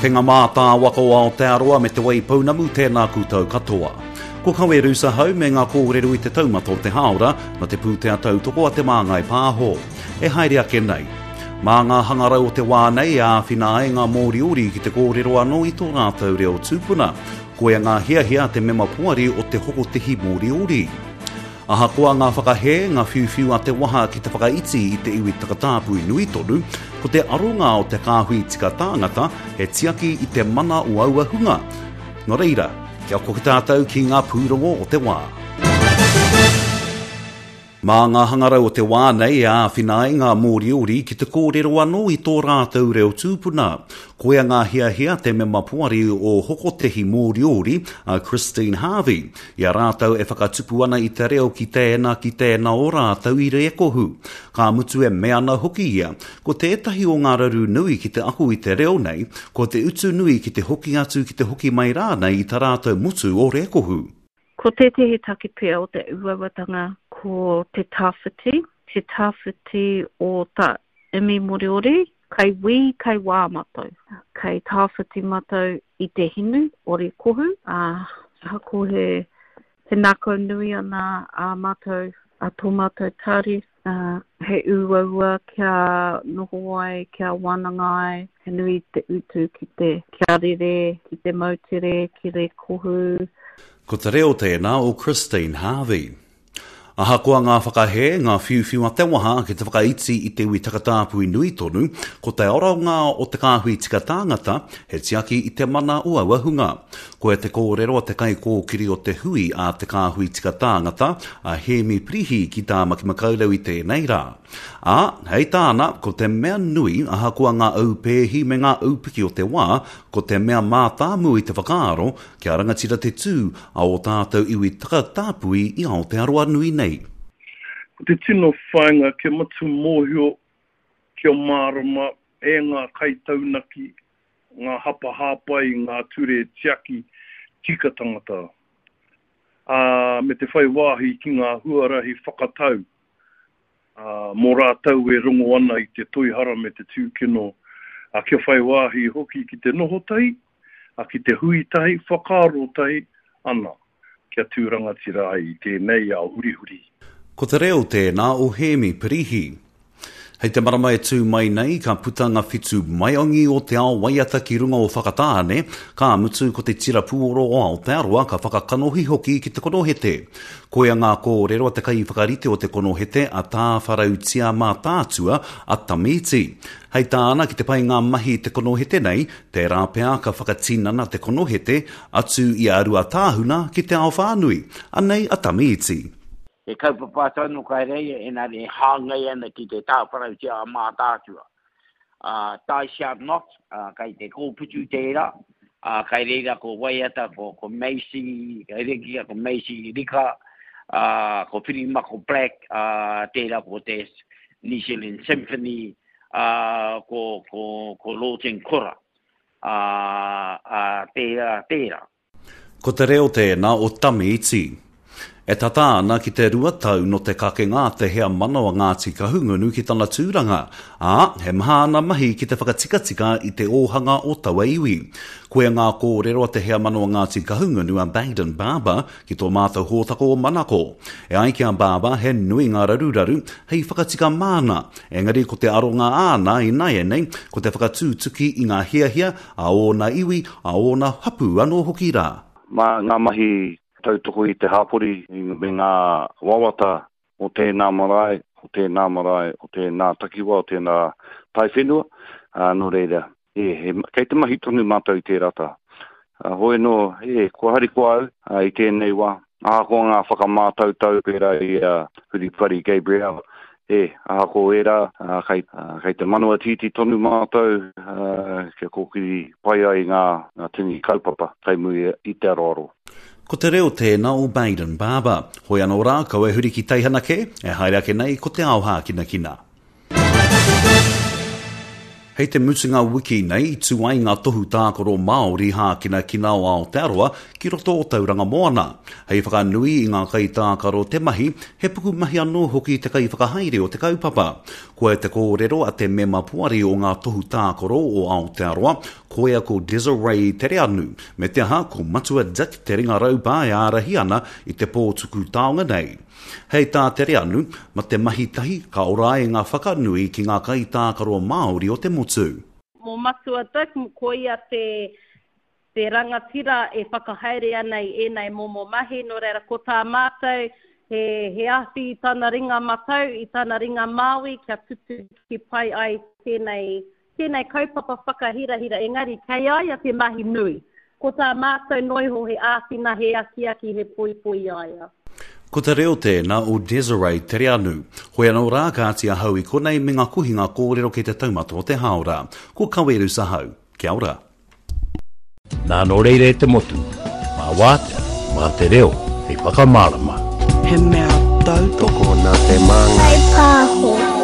Kei ngā mātāwaka o Aotearoa me Te Waipounamu tēnā koutou katoa. Ko Kawe Roos ahau me ngā kōrero i te taumata o te hāora na te pūtea tautoko a Te Māngai Pāho. E haere ake nei. Mā ngā hangarau o te wā nei e āwhina ai ngā Mōriori ki te kōrero anō i tō rātou reo tūpuna. Koia ngā hiahia a te mema poari o te Hokotehi Mōriori. Ahakoa ngā whakahē, ngā whiuwhiu a te waha ki te whakaiti i te iwi takatāpui nui tonu, ko te aronga o te kāhui tika tāngata he tiaki i te mana o aua hunga. Nō reira, kia koke tātou ki ngā pūrongo o te wā. Mā ngā hangarau o te wā nei e āwhina ai ngā Mōriori ki te kōrero anō i tō rātou reo tūpuna. Koia ngā hiahia te mema poari o Hokotehi Mōriori, a Christine Harvey, i a rātou e whakatupu ana i te reo ki tēnā, ki tēnā o rātou i Rēkohu. Ka mutu e mea ana hoki ia, ko tētahi o ngā raru nui ki te ako i te reo nei, ko te utu nui ki te hoki atu ki te hoki mai rānei i ta rātou motu o Rēkohu. Ko tētehi take pea o te uauatanga ko te tawhiti, te tawhiti o ta imi Moriori, kei wī, kei wā matou. Kei tawhiti matou i te hinu o Rēkohu, ā, ahakoa he, he ngākau nui ana ā matou, a tō matou tari, ā, he uaua kia noho ai, kia wānanga ai, he nui te utu ki te, kia rere, ki te moutere, ki Rēkohu. Ko te reo tēnā o Christine Harvey. Ahakoa ngā whakahē, ngā whiuwhiu a te waha ki te whakaiti i te iwi takatāpui nui tonu, ko te aronga o te kāhui tika tāngata, he tiaki i te mana o aua hunga. Koia te kōrero a te kaikōkiri o te hui a te kāhui tika tāngata, a Hēmi Pirihi ki Tāmaki Makaurau i tēnei rā. Ā, hei tāna, ko te mea nui, ahakoa ngā aupēhi me ngā aupiki o te wā, ko te mea mātāmua i te whakaaro, Kia rangatira te tū a ō tātou iwi takatāpui i Aotearoa nui nei. Ko te tino whāinga kia matua mōhio, kia mārama e ngā kaitaunaki, ngā hapa hāpai i ngā ture tiaki tika tangata, ā, me te whai wāhi ki ngā huarahi whakatau ā, mō rātou e rongo ana i te toihara me te tūkino, ā, kia whai wāhi hoki ki te noho tahi, ā, ki te hui tahi, whakaaro tahi ana, kia tū rangatira ai i tēnei ao hurihuri. Ko te reo tēnā o Hēmi Pirihi. Hei te marama e tū mai nei, ka puta ngā whitu maiangi o te ao waiata ki runga o Whakatāne, ka mutu ko te tira pūoro o Aotearoa ka whakakanohi hoki ki te konohete. Koia ngā kōrero a te kaiwhakarite o te konohete a Tāwharautia Mātaatua, a Tamiti. Hei tāna ki te pai ngā mahi i te konohete nei, tērā pea ka whakatinana te konohete atu i a Ruatāhuna ki te ao whānui. Anei a Tamiti. He kaupapa atu anō kai reira, engari e hāngai ana ki te tāwharautia a Mātaatua. Ā, Thou Shalt Not, ā, kai te kōputu tērā, ā, kai reira ko Waiata, ko, ko Macy, kai reira ko Macy Rika, ā, ko Whirimako Black, ā, tērā ko te New Zealand Symphony, ā, ko, ko, ko Lawton Kora, ā, ā, tērā, tērā. Ko te reo tēnā o Tami Iti. E tata ana ki te 2 tau nō te kakenga a te heamana o Ngāti Kahungunu ki tana tūranga, ā, he maha ana mahi ki te whakatikatika i te ōhanga o taua iwi. Koia ngā kōrero a te heamana o Ngāti Kahungunu a Bayden Barber ki tō mātou hōtaka o Manako. E ai ki a Barber he nui ngā raruraru hei whakatika māna, engari ko te aronga āna ināianei ko te whakatūtuki i ngā hiahia a ōna iwi, a ōna hapū anō hoki rā. Mā ngā mahi tautoko i te hapori me ngā wawata o tēnā marae, o tēnā marae, o tēnā takiwā, o tēnā taiwhenua, ā, nō reira, e, he, kei te mahi tonu mātou i tērā taha. Hoi anō, e, kua harikoa au ā, i tēnei wā, ahakoa ngā whakamātautau pērā i a Huripari Gabrielle, E, ahakoa ērā, kei, kei te manawa tītī tonu mātou kia kōkiri pai ai ngā, ngā tini kaupapa kei muri i te aroaro. Ko te reo tēnā o Bayden Barber. Hoi anō rā, kaua e huri ki teihana kē, e haere ake nei ko te ao hākinakina. Hei te mutunga wiki nei i tū ai ngā tohu tākaro Māori hākinakina o Aotearoa ki roto o Tauranga Moana. Hei whakanui i ngā kaitākaro te mahi, he pukumahi anō hoki te kaiwhakahaere o te kaupapa. Koia te kōrero a te mema poari o ngā tohu tākaro o Aotearoa, Koia ko Desiree Tereanu, me te aha ko Matua Dick Te Ringa Raupā e ārahi ana i te pō tuku taonga nei. Hei tā Tereanu, ma te mahi tahi ka ora ai ngā whakanui ki ngā kaitākaro Māori o te motu. Mō Matua Dick, ko ia te te rangatira e whakahaere ana i ēnei momo mahi, nō reira ko tā mātou he he awhi i tana ringa matau, i tana ringa māui kia tutuki pai ai tēnei tēnei kaupapa whakahirahira, engari kei a ia te mahi nui. Ko tā mātou noa iho he āwhina, he akiaki, he poipoi i a ia. Ko te reo tēnā o Desiree Tereanu. Hoi anō rā, kāti ahau i konei me ngā kohinga kōrero kei te taumata o te hāora. Ko Kawerus ahau. Kia ora. Nā nō reira e te motu, mā wātea, mā te reo hei whakamārama. He mea tautoko nā te māngai. Whai pāho.